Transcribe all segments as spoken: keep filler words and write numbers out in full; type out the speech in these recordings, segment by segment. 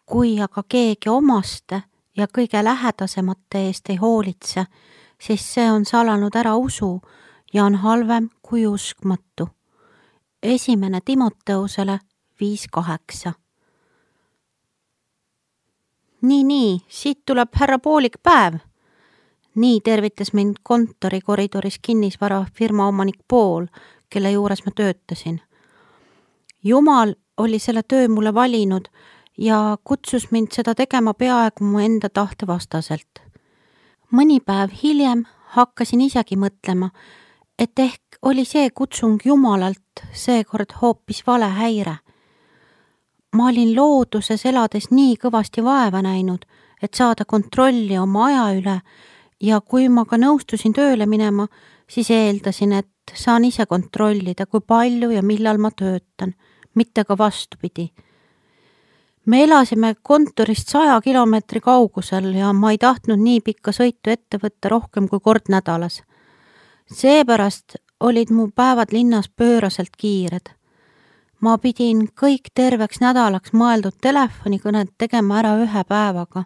Kui aga keegi omaste ja kõige lähedasemate eest ei hoolitse, siis see on salanud ära usu ja on halvem kui uskmatu. Esimene Timoteusele viis kaheksa. Nii, nii, siit tuleb härra Poolik päev. Nii tervitas mind kontori koridoris kinnisvara firma omanik Pool, kelle juures ma töötasin. Jumal oli selle töö mulle valinud ja kutsus mind seda tegema peaaegu mu enda tahte vastaselt. Mõni päev hiljem hakkasin isegi mõtlema, et ehk oli see kutsung Jumalalt seekord hoopis vale häire. Ma olin looduses elades nii kõvasti vaeva näinud, et saada kontrolli oma aja üle ja kui ma ka nõustusin tööle minema, siis eeldasin, et saan ise kontrollida, kui palju ja millal ma töötan, mitte ka vastupidi. Me elasime kontorist saja kilomeetri kaugusel ja ma ei tahtnud nii pikka sõitu ette võtta rohkem kui kord nädalas. Seepärast olid mu päevad linnas pööraselt kiired. Ma pidin kõik terveks nädalaks mõeldud telefonikõned tegema ära ühe päevaga.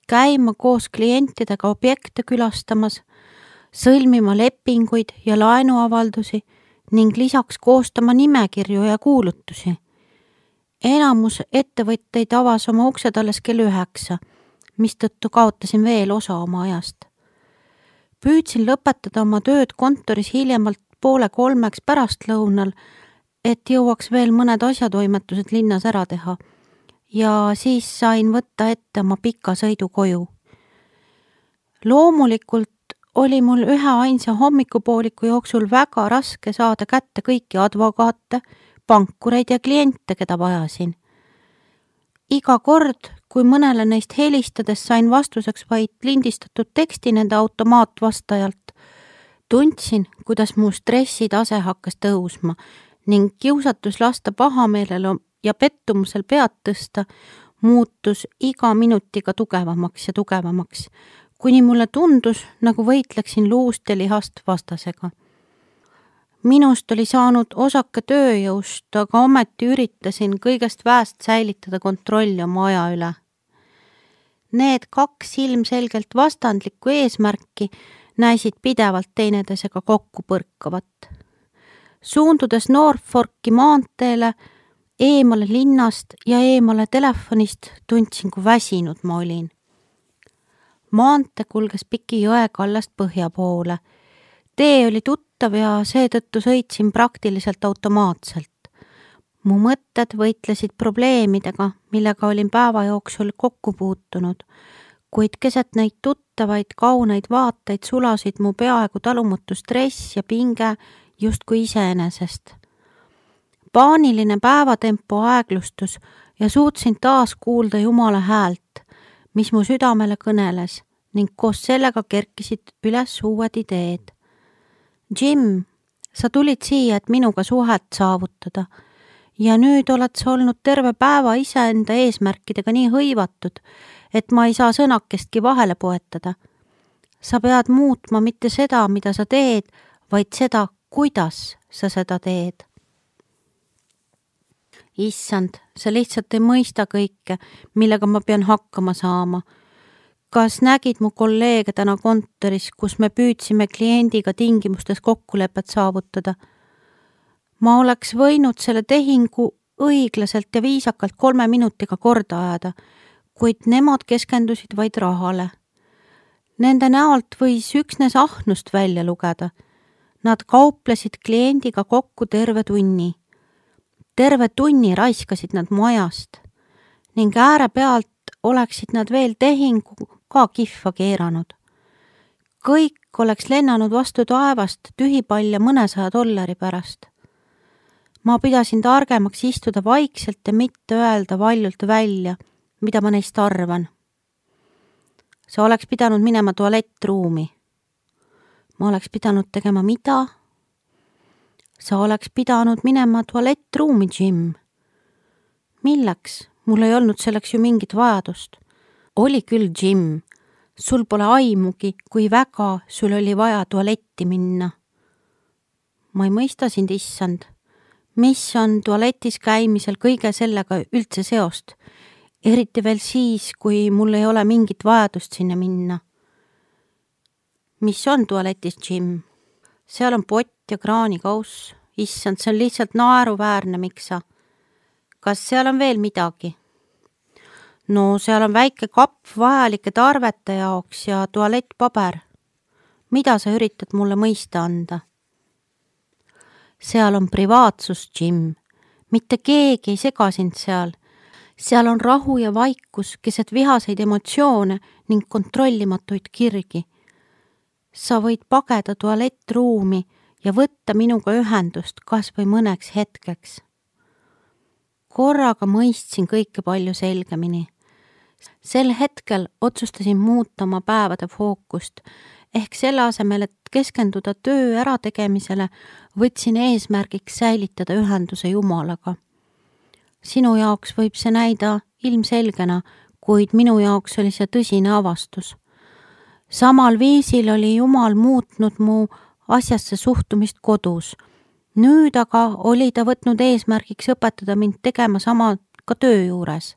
Käima koos klientidega objekte külastamas, sõlmima lepinguid ja laenuavaldusi ning lisaks koostama nimekirju ja kuulutusi. Enamus ettevõtteid avas oma uksed alles kell üheksa, mistõttu kaotasin veel osa oma ajast. Püüdsin lõpetada oma tööd kontoris hiljemalt poole kolmeks pärastlõunal, et jõuaks veel mõned asjatoimetused linnas ära teha ja siis sain võtta ette oma pika sõidu koju. Loomulikult oli mul ühe ainsa hommikupooliku jooksul väga raske saada kätte kõiki advokaate, pankureid ja kliente, keda vajasin. Iga kord, kui mõnele neist helistades sain vastuseks vaid lindistatud teksti nende automaatvastajalt, tundsin, kuidas mu stressitase hakkas tõusma ning kiusatus lasta pahameelel ja pettumusel pead tõsta muutus iga minutiga tugevamaks ja tugevamaks, kuni mulle tundus, nagu võitleksin luust ja lihast vastasega. Minust oli saanud osake tööjõust, aga ometi üritasin kõigest väest säilitada kontrolli oma aja üle. Need kaks ilmselgelt vastandlikku eesmärki näisid pidevalt teineteisega kokku põrkavat. Suundudes Norfolki maanteele, eemale linnast ja eemale telefonist tundsin, kui väsinud ma olin. Maante kulges piki jõe kallast põhja poole. Tee oli tuttav ja seetõttu sõitsin praktiliselt automaatselt. Mu mõtted võitlesid probleemidega, millega olin päeva jooksul kokku puutunud, kuid keset neid tuttavaid kauneid vaateid sulasid mu peaaegu talumatu stress ja pinge justkui iseenesest. Paaniline päevatempo aeglustus ja suutsin taas kuulda Jumala häält, mis mu südamele kõneles ning koos sellega kerkisid üles uued ideed. Jim, sa tulid siia, et minuga suhet saavutada ja nüüd oled sa olnud terve päeva iseenda eesmärkidega nii hõivatud, et ma ei saa sõnakestki vahele poetada. Sa pead muutma mitte seda, mida sa teed, vaid seda, kuidas sa seda teed. Issand, sa lihtsalt ei mõista kõike, millega ma pean hakkama saama. Kas nägid mu kolleege täna kontoris, kus me püüdsime kliendiga tingimustes kokkulepet saavutada? Ma oleks võinud selle tehingu õiglaselt ja viisakalt kolme minutiga korda ajada, kuid nemad keskendusid vaid rahale. Nende näolt võis üksnes ahnust välja lugeda. Nad kauplesid kliendiga kokku terve tunni. Terve tunni raiskasid nad mu ajast ning ääre pealt oleksid nad veel tehingu ka kihva keeranud. Kõik oleks lennanud vastu taevast tühipall ja mõnesaja dollari pärast. Ma pidasin targemaks istuda vaikselt ja mitte öelda valjult välja, mida ma neist arvan. Sa oleks pidanud minema tualettruumi. Ma oleks pidanud tegema mida? Sa oleks pidanud minema tualettruumi, Jim. Milleks? Mul ei olnud selleks ju mingit vajadust. Oli küll, Jim. Sul pole aimugi, kui väga sul oli vaja tualetti minna. Ma ei mõista sind, issand. Mis on tualetis käimisel kõige sellega üldse seost? eriti veel siis, kui mul ei ole mingit vajadust sinna minna. Mis on tualetis džimm? Seal on pott ja kraanikauss. Issand, see on lihtsalt naeruväärne, miksa. Kas seal on veel midagi? No seal on väike kapp vajalike tarvete jaoks ja tualettpaber. Mida sa üritad mulle mõista anda? Seal on privaatsus, Jim. Mitte keegi ei sega sind seal. Seal on rahu ja vaikus, keset vihaseid emotsioone ning kontrollimatuid kirgi. Sa võid pageda tualettruumi ja võtta minuga ühendust kas või mõneks hetkeks. Korraga mõistsin kõike palju selgemini. Sel hetkel otsustasin muuta oma päevade fookust, ehk selle asemel, et keskenduda töö ärategemisele, võtsin eesmärgiks säilitada ühenduse Jumalaga. Sinu jaoks võib see näida ilmselgena, kuid minu jaoks oli see tõsine avastus. Samal viisil oli Jumal muutnud mu asjasse suhtumist kodus. Nüüd aga oli ta võtnud eesmärgiks õpetada mind tegema sama ka töö juures.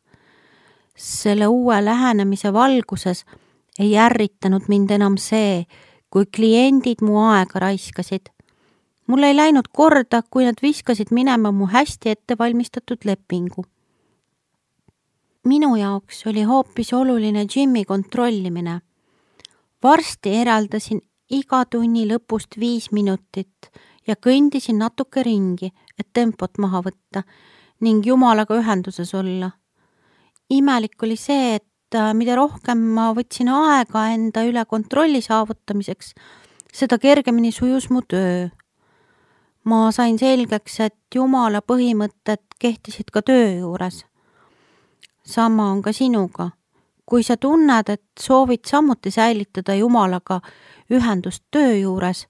Selle uue lähenemise valguses ei ärritanud mind enam see, kui kliendid mu aega raiskasid. Mul ei läinud korda, kui nad viskasid minema mu hästi ettevalmistatud lepingu. Minu jaoks oli hoopis oluline Jimmy kontrollimine. Varsti eraldasin iga tunni lõpust viis minutit ja kõndisin natuke ringi, et tempot maha võtta ning Jumalaga ühenduses olla. Imelik oli see, et mida rohkem ma võtsin aega enda üle kontrolli saavutamiseks, seda kergemini sujus mu töö. Ma sain selgeks, et Jumala põhimõtted kehtisid ka töö juures. Sama on ka sinuga. Kui sa tunned, et soovid samuti säilitada Jumalaga ühendust töö juures,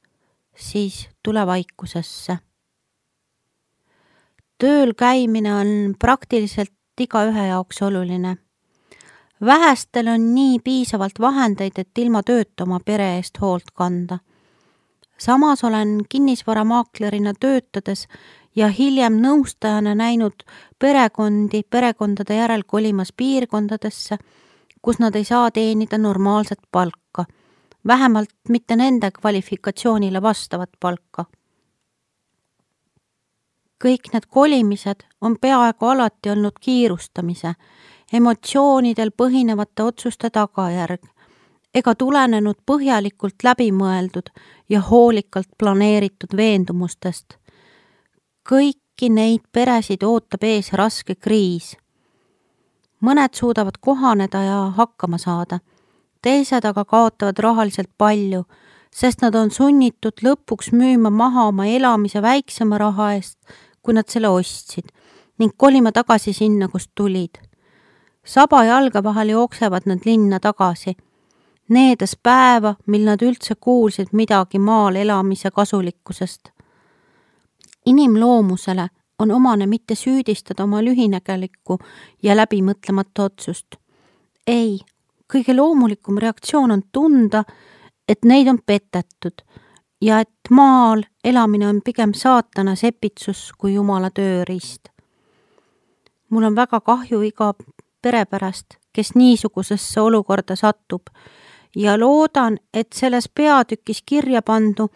siis tule vaikusesse. Tööl käimine on praktiliselt igaühe jaoks oluline. Vähestel on nii piisavalt vahendeid, et ilma tööta oma pere eest hoolt kanda. Samas olen kinnisvaramaaklerina töötades ja hiljem nõustajana näinud perekondi perekondade järel kolimas piirkondadesse, kus nad ei saa teenida normaalset palka, vähemalt mitte nende kvalifikatsioonile vastavat palka. Kõik need kolimised on peaaegu alati olnud kiirustamise, emotsioonidel põhinevate otsuste tagajärg, ega tulenenud põhjalikult läbimõeldud ja hoolikalt planeeritud veendumustest. Kõiki neid peresid ootab ees raske kriis. Mõned suudavad kohaneda ja hakkama saada, teised aga kaotavad rahaliselt palju, sest nad on sunnitud lõpuks müüma maha oma elamise väiksema raha eest, kui nad selle ostsid, ning kolima tagasi sinna, kust tulid. Saba jalga vahel jooksevad nad linna tagasi, needes päeva, mil nad üldse kuulsid midagi maal elamise kasulikkusest. Inimloomusele on omane mitte süüdistada oma lühinägelikku ja läbimõtlemata otsust. Ei, kõige loomulikum reaktsioon on tunda, et neid on petetud ja et maal elamine on pigem saatana sepitsus kui Jumala tööriist. Mul on väga kahju iga pere pärast, kes niisugusesse olukorda satub ja loodan, et selles peatükis kirja pandu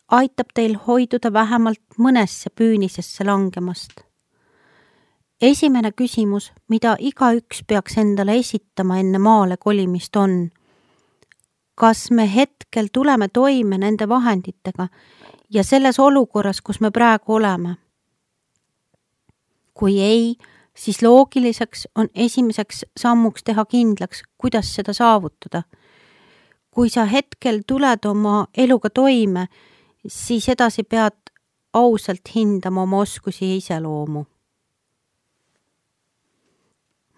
aitab teil hoiduda vähemalt mõnesse püünisesse langemast. Esimene küsimus, mida igaüks peaks endale esitama enne maale kolimist on, kas me hetkel tuleme toime nende vahenditega ja selles olukorras, kus me praegu oleme? Kui ei, siis loogiliseks on esimeseks sammuks teha kindlaks, kuidas seda saavutada. Kui sa hetkel tuled oma eluga toime, siis edasi pead ausalt hindama oma oskusi ja iseloomu.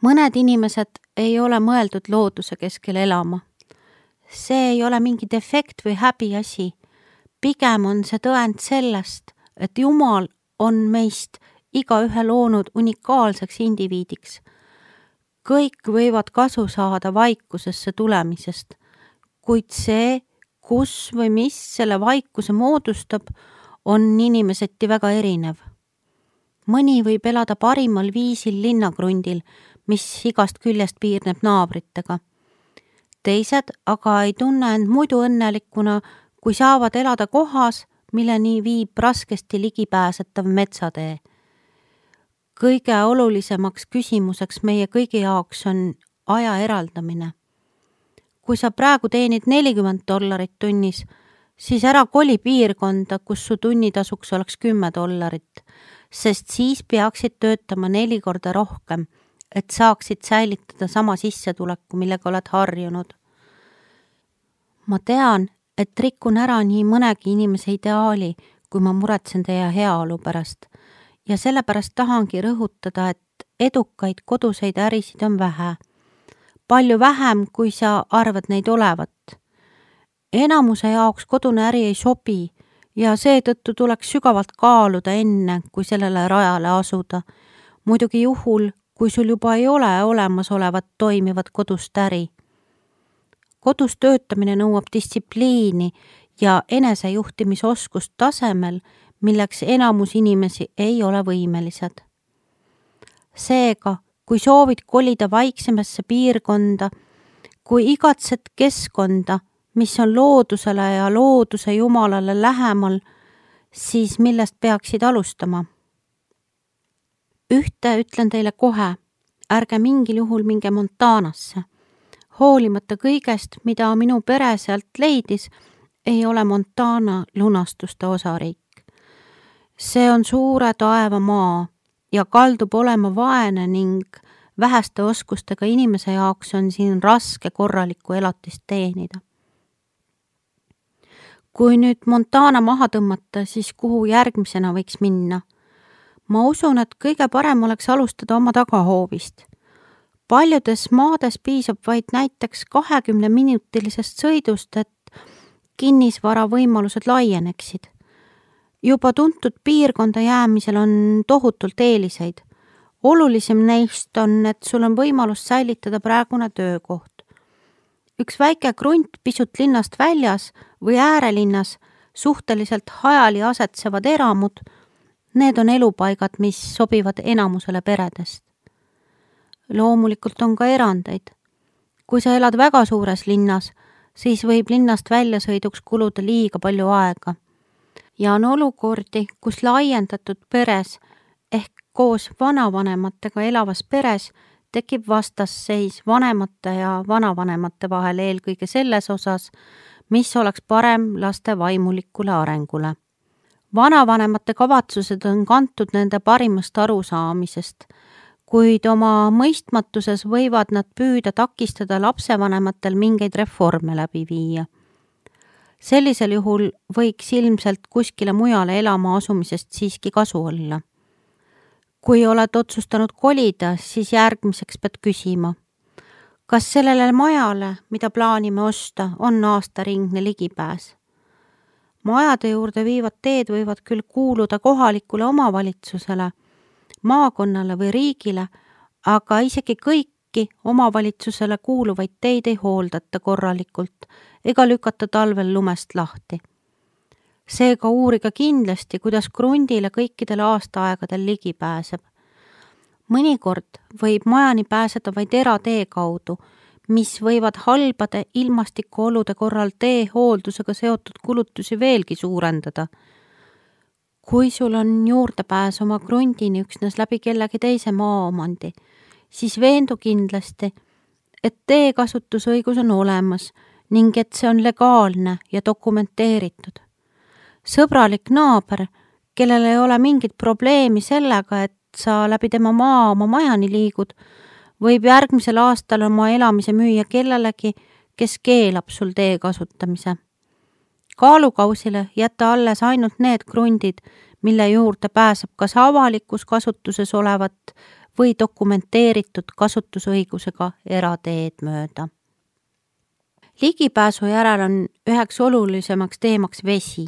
Mõned inimesed ei ole mõeldud looduse keskel elama. See ei ole mingi defekt või häbi asi. Pigem on see tõend sellest, et Jumal on meist igaühe loonud unikaalseks indiviidiks. Kõik võivad kasu saada vaikusesse tulemisest, kuid see, kus või mis selle vaikuse moodustab, on inimeseti väga erinev. Mõni võib elada parimal viisil linnakrundil, mis igast küljest piirneb naabritega. Teised aga ei tunne end muidu õnnelikuna, kui saavad elada kohas, milleni viib raskesti ligipääsetav metsatee. Kõige olulisemaks küsimuseks meie kõigi jaoks on aja eraldamine. Kui sa praegu teenid nelikümmend dollarit tunnis, siis ära koli piirkonda, kus su tunnitasuks oleks kümme dollarit, sest siis peaksid töötama neli korda rohkem, et saaksid säilitada sama sissetuleku, millega oled harjunud. Ma tean, et rikun ära nii mõnegi inimese ideaali, kui ma muretsen teie heaolu pärast ja sellepärast tahangi rõhutada, et edukaid koduseid ärisid on vähe. Palju vähem, kui sa arvad neid olevat. Enamuse jaoks kodune äri ei sobi ja seetõttu tuleks sügavalt kaaluda enne, kui sellele rajale asuda. Muidugi juhul, kui sul juba ei ole olemasolevat toimivat kodust äri. Kodus töötamine nõuab distsipliini ja enesejuhtimisoskust tasemel, milleks enamus inimesi ei ole võimelised. Seega, kui soovid kolida vaiksemasse piirkonda, kui igatsed keskkonda, mis on loodusele ja looduse jumalale lähemal, siis millest peaksid alustama? Ühte ütlen teile kohe, ärge mingil juhul minge Montanasse. Hoolimata kõigest, mida minu pere sealt leidis, ei ole Montana lunastuste osariik. See on suure taeva maa ja kaldub olema vaene ning väheste oskustega inimese jaoks on siin raske korralikku elatist teenida. Kui nüüd Montana maha tõmmata, siis kuhu järgmisena võiks minna? Ma usun, et kõige parem oleks alustada oma tagahoovist. Paljudes maades piisab vaid näiteks kahekümne minutilisest sõidust, et kinnisvara võimalused laieneksid. Juba tuntud piirkonda jäämisel on tohutult eeliseid. Olulisem neist on, et sul on võimalus säilitada praegune töökoht. Üks väike krunt pisut linnast väljas või äärelinnas suhteliselt hajali asetsevad eramud, need on elupaigad, mis sobivad enamusele peredest. Loomulikult on ka erandeid. Kui sa elad väga suures linnas, siis võib linnast väljasõiduks kuluda liiga palju aega. Ja on olukordi, kus laiendatud peres ehk koos vanavanematega elavas peres tekib vastasseis vanemate ja vanavanemate vahel eelkõige selles osas, mis oleks parem laste vaimulikule arengule. Vanavanemate kavatsused on kantud nende parimast arusaamisest, kuid oma mõistmatuses võivad nad püüda takistada lapsevanematel mingeid reforme läbi viia. Sellisel juhul võiks ilmselt kuskile mujale elama asumisest siiski kasu olla. Kui oled otsustanud kolida, siis järgmiseks pead küsima, kas sellele majale, mida plaanime osta, on aastaringne ligipääs. Majade juurde viivad teed võivad küll kuuluda kohalikule omavalitsusele, maakonnale või riigile, aga isegi kõiki omavalitsusele kuuluvaid teid ei hooldata korralikult ega lükata talvel lumest lahti. Seega uuriga kindlasti, kuidas krundile kõikidel aastaaegadel ligi pääseb. Mõnikord võib majani pääseda vaid eratee kaudu, mis võivad halbade ilmastikuolude korral tee hooldusega seotud kulutusi veelgi suurendada. Kui sul on juurdepääs oma krundini üksnes läbi kellegi teise maaomandi, siis veendu kindlasti, et tee kasutusõigus on olemas ning et see on legaalne ja dokumenteeritud. Sõbralik naaber, kellel ei ole mingit probleemi sellega, et sa läbi tema maa oma majani liigud, võib järgmisel aastal oma elamise müüa kellelegi, kes keelab sul tee kasutamise. Kaalukausile jätta alles ainult need krundid, mille juurde pääseb kas avalikus kasutuses olevat või dokumenteeritud kasutusõigusega erateed mööda. Ligipääsu järel on üheks olulisemaks teemaks vesi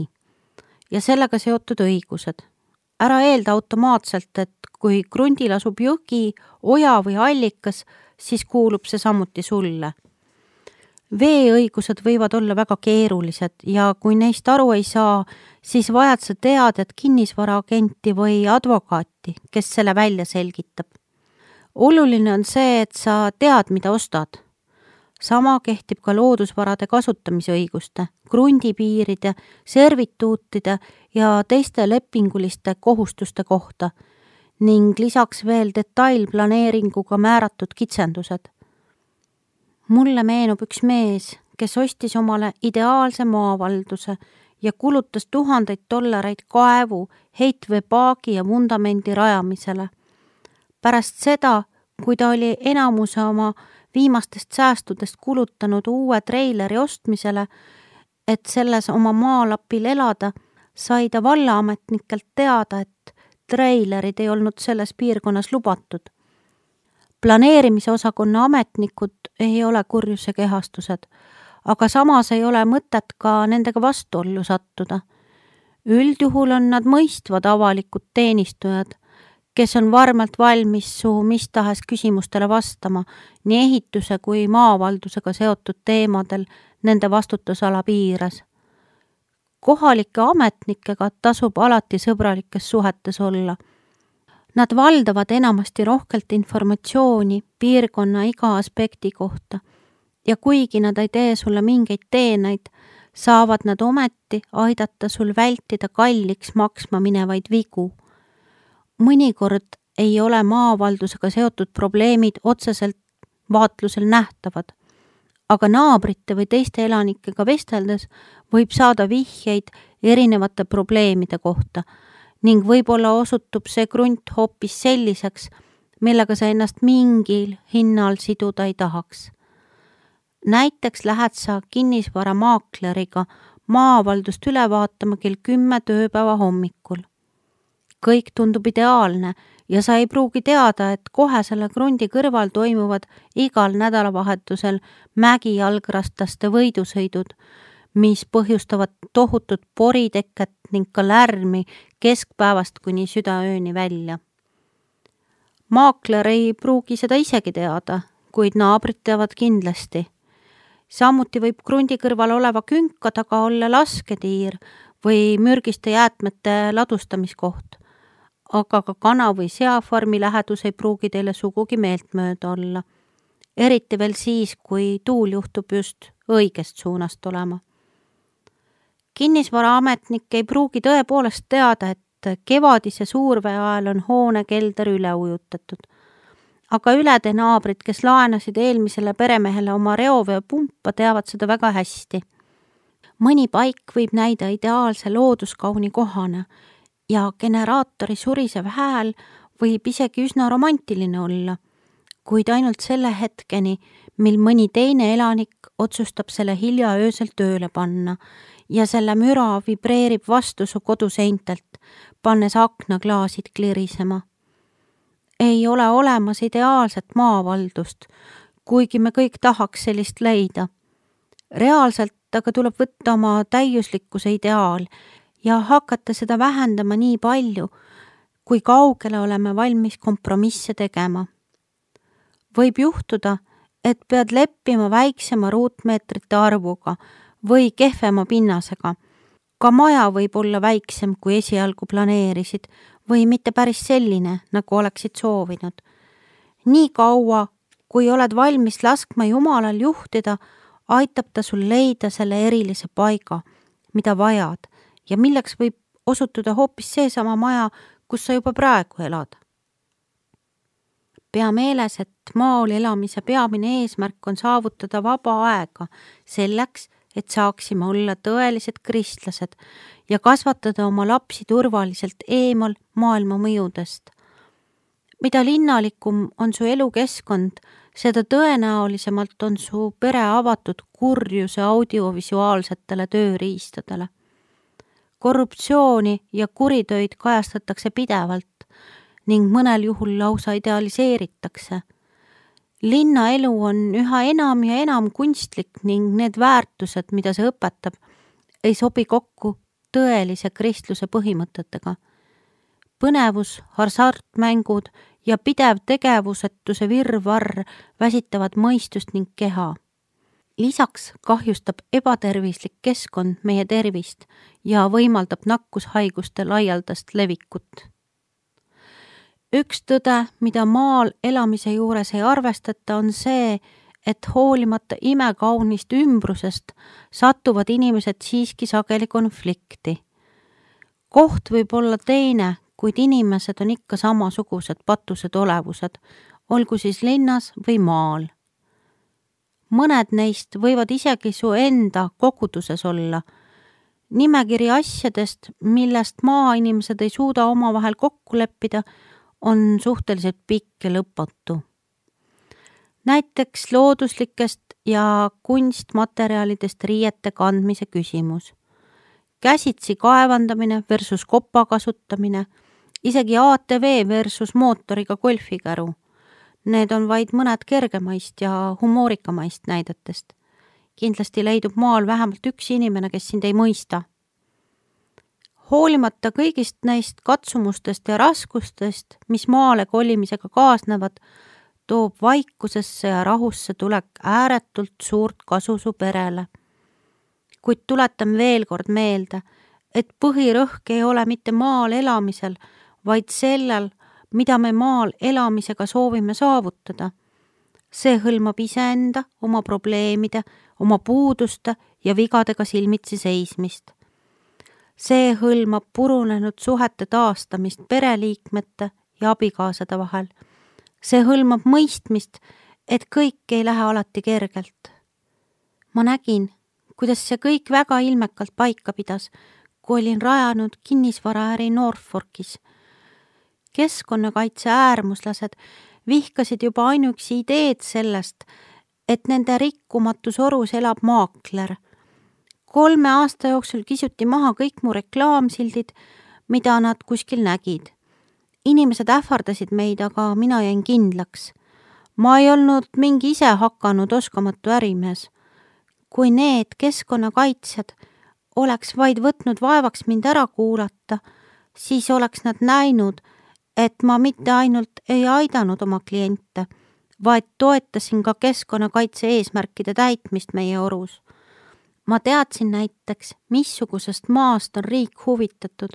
ja sellega seotud õigused. Ära eelda automaatselt, et kui krundil asub jõgi, oja või allikas, siis kuulub see samuti sulle. Veeõigused võivad olla väga keerulised ja kui neist aru ei saa, siis vajad sa teadet kinnisvaraagenti või advokaati, kes selle välja selgitab. oluline on see, et sa tead, mida ostad. Sama kehtib ka loodusvarade kasutamise õiguste, krundipiiride, servituutide ja teiste lepinguliste kohustuste kohta ning lisaks veel detailplaneeringuga määratud kitsendused. Mulle meenub üks mees, kes ostis omale ideaalse maavalduse ja kulutas tuhandeid dollareid kaevu, heitveepaagi ja vundamendi rajamisele. Pärast seda, kui ta oli enamuse oma viimastest säästudest kulutanud uue treileri ostmisele, et selles oma maalapil elada, sai ta vallaametnikelt teada, et treilerid ei olnud selles piirkonnas lubatud. Planeerimise osakonna ametnikud ei ole kurjuse kehastused, aga samas ei ole mõtet ka nendega vastuollu sattuda. Üldjuhul on nad mõistvad avalikud teenistujad, kes on varmalt valmis su mis tahes küsimustele vastama nii ehituse kui maavaldusega seotud teemadel nende vastutusala piires. Kohalike ametnikega tasub alati sõbralikes suhetes olla. Nad valdavad enamasti rohkelt informatsiooni piirkonna iga aspekti kohta ja kuigi nad ei tee sulle mingeid teenaid, saavad nad ometi aidata sul vältida kalliks maksma minevaid vigu. Mõnikord ei ole maavaldusega seotud probleemid otseselt vaatlusel nähtavad, aga naabrite või teiste elanikega vesteldes võib saada vihjeid erinevate probleemide kohta ning võib-olla osutub see krunt hoopis selliseks, millega sa ennast mingil hinnal siduda ei tahaks. Näiteks lähed sa kinnisvaramaakleriga maavaldust üle vaatama kell kümme tööpäeva hommikul. Kõik tundub ideaalne ja sa ei pruugi teada, et kohe selle krundi kõrval toimuvad igal nädalavahetusel mägijalgrastaste võidusõidud, mis põhjustavad tohutut poriteket ning ka lärmi keskpäevast kuni südaööni välja. Maakler ei pruugi seda isegi teada, kuid naabrid teavad kindlasti. Samuti võib krundi kõrval oleva künka taga olla lasketiir või mürgiste jäätmete ladustamiskoht, aga ka kana- või seafarmi lähedus ei pruugi teile sugugi meeltmööda olla. Eriti veel siis, kui tuul juhtub just õigest suunast olema. Kinnisvaraametnik ei pruugi tõepoolest teada, et kevadise suurvee ajal on hoone kelder üle ujutatud. Aga ülede naabrid, kes laenasid eelmisele peremehele oma reoveepumpa, teavad seda väga hästi. Mõni paik võib näida ideaalse looduskauni kohana ja generaatori surisev hääl võib isegi üsna romantiline olla, kuid ainult selle hetkeni, mil mõni teine elanik otsustab selle hilja öösel tööle panna ja selle müra vibreerib vastu su koduseintelt, pannes aknaklaasid klirisema. Ei ole olemas ideaalset maavaldust, kuigi me kõik tahaks sellist leida. Reaalselt aga tuleb võtta oma täiuslikkuse ideaal ja hakata seda vähendama nii palju, kui kaugele oleme valmis kompromisse tegema. Võib juhtuda, et pead leppima väiksema ruutmeetrite arvuga või kehvema pinnasega. Ka maja võib olla väiksem, kui esialgu planeerisid või mitte päris selline, nagu oleksid soovinud. Nii kaua, kui oled valmis laskma Jumalal juhtida, aitab ta sul leida selle erilise paiga, mida vajad ja milleks võib osutuda hoopis seesama maja, kus sa juba praegu elad. Pea meeles, et maal elamise peamine eesmärk on saavutada vaba aega selleks, et saaksime olla tõelised kristlased ja kasvatada oma lapsi turvaliselt eemal maailma mõjudest. Mida linnalikum on su elukeskkond, seda tõenäolisemalt on su pere avatud kurjuse audiovisuaalsetele tööriistadele. Korruptsiooni ja kuritöid kajastatakse pidevalt ning mõnel juhul lausa idealiseeritakse. Linnaelu on üha enam ja enam kunstlik ning need väärtused, mida see õpetab, ei sobi kokku tõelise kristluse põhimõtetega. Põnevus, hasartmängud ja pidev tegevusetuse virvarr väsitavad mõistust ning keha. Lisaks kahjustab ebatervislik keskkond meie tervist ja võimaldab nakkushaiguste laialdast levikut. Üks tõde, mida maal elamise juures ei arvestata, on see, et hoolimata imekaunist ümbrusest satuvad inimesed siiski sageli konflikti. Koht võib olla teine, kuid inimesed on ikka samasugused patused olevused, olgu siis linnas või maal. Mõned neist võivad isegi su enda koguduses olla. Nimekiri asjadest, millest maainimesed ei suuda omavahel kokku leppida, on suhteliselt pikk ja lõpatu. Näiteks looduslikest ja kunstmaterjalidest riiete kandmise küsimus. Käsitsi kaevandamine versus kopa kasutamine, isegi A T V versus mootoriga golfikäru. Need on vaid mõned kergemaist ja humoorikamaist näidetest. Kindlasti leidub maal vähemalt üks inimene, kes sind ei mõista. Hoolimata kõigist neist katsumustest ja raskustest, mis maale kolimisega kaasnevad, toob vaikusesse ja rahusse tulek ääretult suurt kasu su perele. Kuid tuletan veel kord meelde, et põhirõhk ei ole mitte maal elamisel, vaid sellel, mida me maal elamisega soovime saavutada. See hõlmab iseenda, oma probleemide, oma puuduste ja vigadega silmitsi seismist. See hõlmab purunenud suhete taastamist pereliikmete ja abikaasade vahel. See hõlmab mõistmist, et kõik ei lähe alati kergelt. Ma nägin, kuidas see kõik väga ilmekalt paika pidas, kui olin rajanud kinnisvaraäri Norfolkis. Keskkonnakaitse äärmuslased vihkasid juba ainuüksi ideed sellest, et nende rikkumatus orus elab maakler. Kolme aasta jooksul kisuti maha kõik mu reklaamsildid, mida nad kuskil nägid. Inimesed ähvardasid meid, aga mina jäin kindlaks. Ma ei olnud mingi ise hakanud oskamatu ärimees. Kui need keskkonnakaitsjad oleks vaid võtnud vaevaks mind ära kuulata, siis oleks nad näinud, et ma mitte ainult ei aidanud oma kliente, vaid toetasin ka keskkonnakaitse eesmärkide täitmist meie orus. Ma teadsin näiteks, missugusest maast on riik huvitatud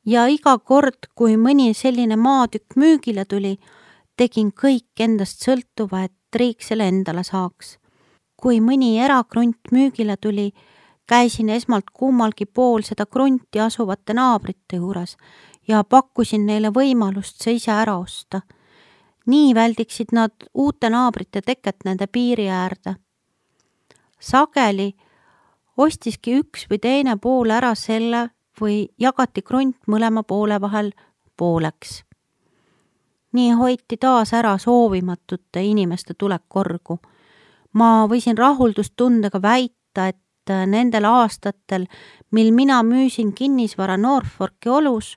ja iga kord, kui mõni selline maatükk müügile tuli, tegin kõik endast sõltuva, et riik selle endale saaks. Kui mõni erakrunt müügile tuli, käisin esmalt kummalgi pool seda krunti asuvate naabrite juures ja pakkusin neile võimalust see ise ära osta. Nii väldiksid nad uute naabrite teket nende piiri äärde. Sageli ostiski üks või teine pool ära selle või jagati krunt mõlema poole vahel pooleks. Nii hoiti taas ära soovimatute inimeste tulek korgu. Ma võisin rahuldustundega väita, et nendel aastatel, mil mina müüsin kinnisvara Norfolki olus,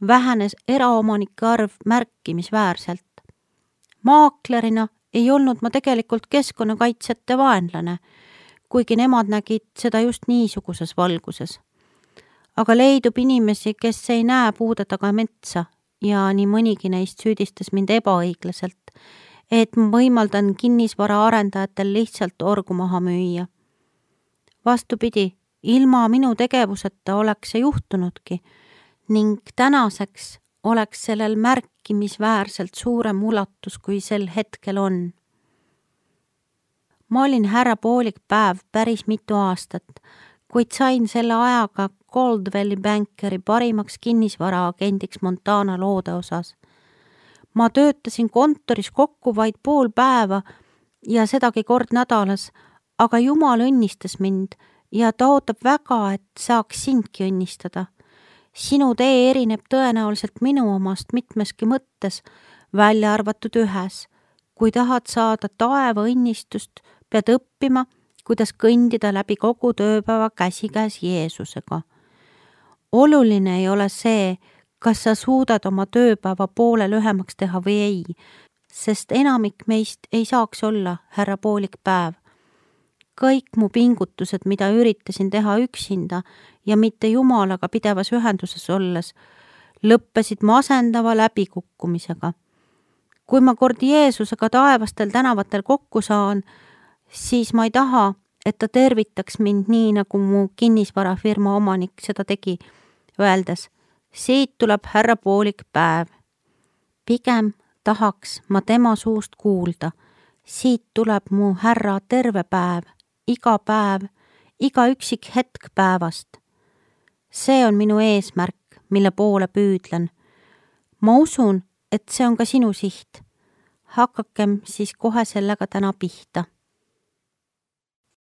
vähenes eraomanike arv märkimisväärselt. Maaklerina ei olnud ma tegelikult keskkonnakaitsjate vaenlane, kuigi nemad nägid seda just niisuguses valguses. Aga leidub inimesi, kes ei näe puude taga metsa ja nii mõnigi neist süüdistas mind ebaõiglaselt, et ma võimaldan kinnisvara arendajatel lihtsalt orgu maha müüa. Vastupidi, ilma minu tegevuseta oleks see juhtunudki ning tänaseks oleks sellel märkimisväärselt suurem ulatus, kui sel hetkel on. Ma olin härra Poolik päev päris mitu aastat, kuid sain selle ajaga Coldwelli Bankeri parimaks kinnisvaraagendiks Montana loode osas. Ma töötasin kontoris kokku vaid pool päeva ja sedagi kord nädalas, aga Jumal õnnistas mind ja ta ootab väga, et saaks sindki õnnistada. Sinu tee erineb tõenäoliselt minu omast mitmeski mõttes, välja arvatud ühes. Kui tahad saada taeva õnnistust, pead õppima, kuidas kõndida läbi kogu tööpäeva käsikäes Jeesusega. Oluline ei ole see, kas sa suudad oma tööpäeva poole lühemaks teha või ei, sest enamik meist ei saaks olla härra Poolik päev. Kõik mu pingutused, mida üritasin teha üksinda ja mitte Jumalaga pidevas ühenduses olles, lõppesid masendava läbikukkumisega. Kui ma kord Jeesusega taevastel tänavatel kokku saan, siis ma ei taha, et ta tervitaks mind nii, nagu mu kinnisvarafirma omanik seda tegi, öeldes, siit tuleb härra Poolik päev. pigem tahaks ma tema suust kuulda. Siit tuleb mu härra terve päev, iga päev, iga üksik hetk päevast. See on minu eesmärk, mille poole püüdlen. Ma usun, et see on ka sinu siht. Hakakem siis kohe sellega täna pihta.